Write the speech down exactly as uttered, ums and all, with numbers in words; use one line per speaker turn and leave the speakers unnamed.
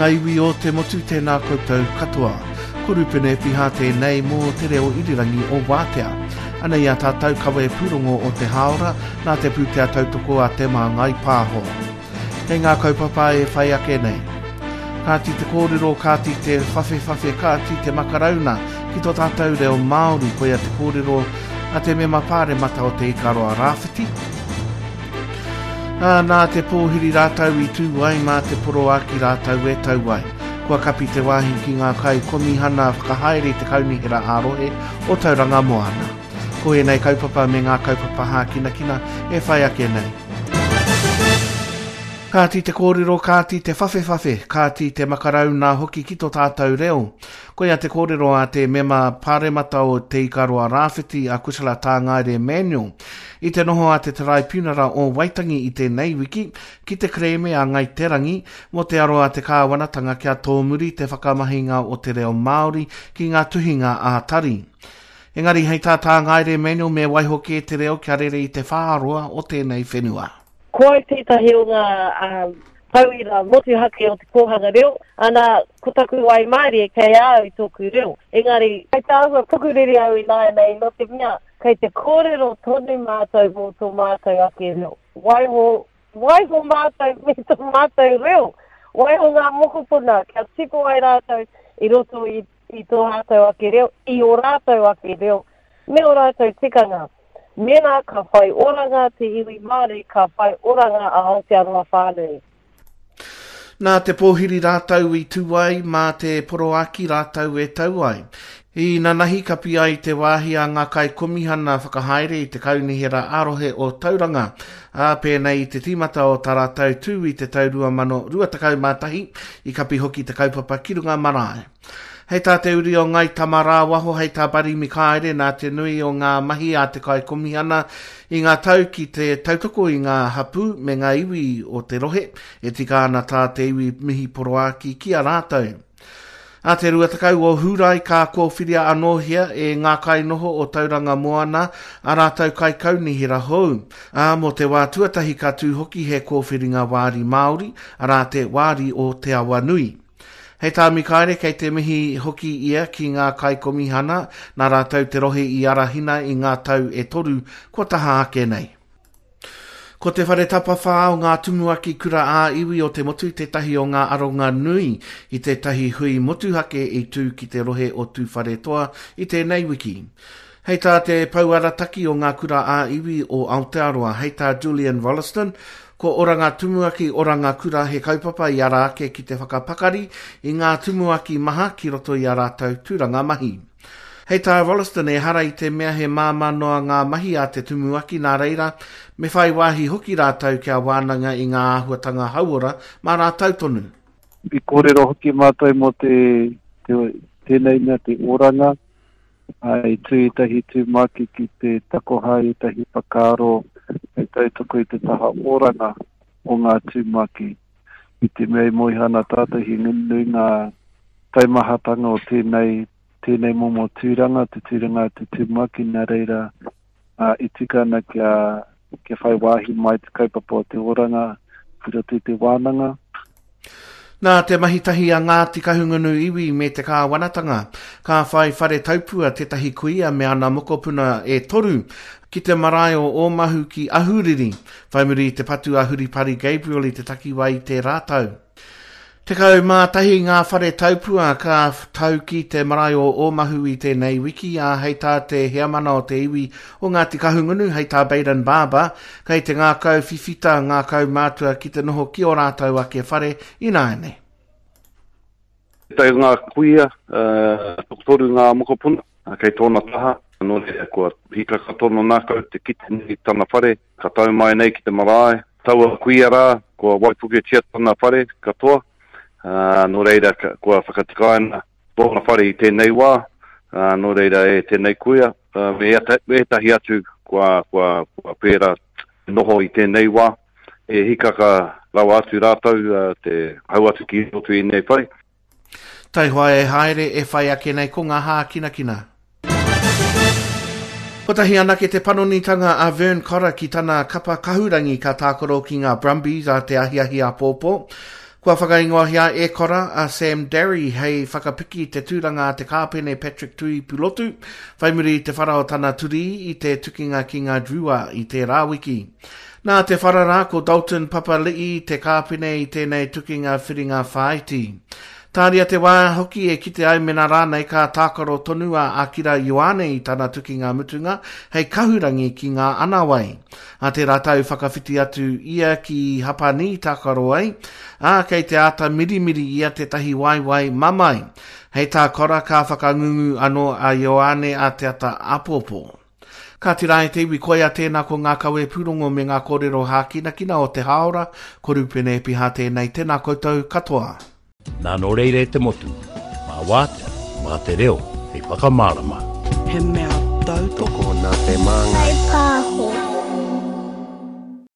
ngā iwi o te motu, tēnā koutou katoa. Ko Rupene Piha tēnei mō te reo irirangi o Wātea. Anei a tātou kawe pūrongo o te hāora, nā te pūtea tautoko a Te Māngai Pāho. Kei ngā kaupapa e whai ake nei. Kāti te kōrero, kāti te whawhewhawhe, kāti te makarauna ki tō tātou reo Māori, koia te kōrero a te mema pāremata o Te Ikaroa Rāwhiti. Ā, nā te pōhiri rātou i tū ai, mā te poroaki rātou e tau ai. Kua kapi te wāhi ki ngā kaikomihana whakahaere i te kaunihera ā-rohe o Tauranga Moana. Ko ēnei kaupapa me ngā kaupapa hākinakina e whai ake nei. Kāti te kōrero, kāti te whawhewhawhe, kāti te makarau nā hoki ki tō tātou reo. Koia te kōrero a te mema pāremata o Te Ikaroa Rāwhiti a Kusala Tāngaere Manuel. I te noho a te Taraipiunara o Waitangi i tēnei wiki ki te kerēme a Ngai Te Rangi mō te aro a te kāwanatanga kia tōmuri te whakamahinga o te reo Māori ki ngā tuhinga ā-tari. Engari hei tā Tāngaere Manuel me waiho kē te reo kia rere i te whāroa o tēnei whenua.
Ko au tētahi o ngā tauira motuhake o te kōhanga reo, ana, ko taku waimarie kei a au i tōku reo. Engari, kei te āhua pukuriri au ināianei nō te mea, kei te kōrero tonu mātou mō tō mātou ake reo. Waiho, waiho mātou me tō mātou reo. Waiho ngā mokopuna kia tipu ai rātou i roto i, i tō rātou ake reo, i ō rātou ake reo, me ō rātou tikanga. Mēnā ka whai oranga te iwi Māori, ka whai oranga a Aotearoa whānui.
Nā te pōhiri rātou i tū ai, mā te poroaki rātou e tau ai. I nanahi kapi ai te wāhi a ngā kaikomihana whakahaere i te kaunihera ā-rohe o Tauranga, ā, pēnei i te tīmata o tā rātou tū i te tau rua mano rua tekau mā tahi, i kapi hoki te kaupapa ki runga marae. Hei tā te uri o Ngai Tamarāwaho, hei tā Barry Mikaere, nā te nui o ngā mahi a te kaikomihana i ngā tau ki te tautoko i ngā hapū me ngā iwi o te rohe, e tika ana tā te iwi mihi poroaki ki a rātou. A te rua tekau o Hūrae ka kōwhiria anōhia e ngā kainoho o Tauranga Moana a rātou kaikaunihera hou. Ā, mō te wā tuatahi ka tū hoki he kōwhiringa wāri Māori, arā te wāri o Te Awanui. Hei tā Mikaere, kei te mihi hoki ia ki ngā kaikomihana, nā rātou te rohe i arahina i ngā tau e toru kua taha ake nei. Ko te whare tapawhā o ngā tumuaki kura ā-iwi o te motu tētahi o ngā aronga nui i tētahi hui motuhake i tū ki te rohe o Tūwharetoa i tēnei wiki. Hei tā te pouarataki o ngā kura ā-iwi o Aotearoa, hei tā Julian Rolleston, ko Oranga Tumuaki Oranga Kura he kaupapa i ara ake ki te whakapakari i ngā tumuaki maha ki roto i a rātou tūranga mahi. Hei tā Rolleston, ehara i te mea he māmā noa ngā mahi a te tumuaki nā reira, me whai wāhi hoki rātou kia wānanga i ngā āhuatanga hauora mā rātou tonu.
I kōrero hoki mātou mō te, te, tēnei mea te oranga, i tū ētahi tumuaki ki te takoha ētahi whakaaro hei tautoko i te taha oranga o ngā tumuaki. I te mea i moe ana tātou he nui ngā taumahatanga o tēnei, tēnei momo tūranga, te tūranga te tumuaki, nā reira uh, i tika ana kia, kia whai wāhi mai te kaupapa o te oranga ki roto i te wānanga.
Nā te mahi tahi a Ngāti Kahungunu iwi me te kāwanatanga, ka whai whare taupua tētahi kuia me ana mokopuna e toru ki te marae o Ōmahu ki Ahuriri, whai muri i te patu a Huripari Gabriel i te takiwā i tērā tau. Tekau mā tahi ngā whare taupua ka tau ki te marae o Ōmahu i tēnei wiki, ā, hei tā te heamana o te iwi o Ngāti Kahungunu, hei tā Baden Barber, kei te ngākau whiwhita ngā kaumātua ki te noho ki ō rātou ake whare ināianei.
Tētahi o ngā kuia, uh, tokotoru ngā mokopuna, kei tōna taha, nō reira kua hikaka tōna ngākau te kite nei tana whare, ka tau mai nei ki te marae, taua kuia rā, kua waipuketia tana whare katoa, uh, nō reira kua whakatikaina tōna whare i tēnei wā, uh, nō reira e tēnei kuia, uh, me ētahi atu kua, kua, kua pērā noho i tēnei wā, e hikaka rawa atu rātou uh, te hau atu ki roto i nei whare.
Taihoa e haere e whai ake nei ko ngā hākinakina. Kotahi anake te panonitanga a Vern Cotter ki tana kapa kahurangi ka tākaro ki ngā Brumbies a te ahiahi āpōpō. Kua whakaingoahia e Kora a Sam Darry hei whakapiki te tūranga a te kāpene Patrick Tuipulotu, whai muri i te whara o tana turi i te tukinga ki ngā Drua i tērā wiki. Nā te whara rā ko Dalton Papali'i te kāpene i tēnei tukinga whiringa whāiti. Tāria te wā hoki e kite ai mena rānei ka tākaro tonu a Akira Ioane i tana tukinga mutunga hei kahurangi ki ngā anawai. A tērā tau whakawhiti atu ia ki Hapani tākaro ai, ā, kei te āta mirimiri ia tētahi waewae mamae. Hei tā Kora ka whakangungu anō a Ioane a te ata āpōpō. Ka tira e te iwi koia tēnā ko ngā kawe pūrongo me ngā kōrero hākinakina o te hāora, ko Rupene Epiha tēnei, tēnā koutou katoa.
Nā nō reira e te motu, mā wātea, mā te reo, hei whakamārama.
He mea tautoko
Tokona te māngai.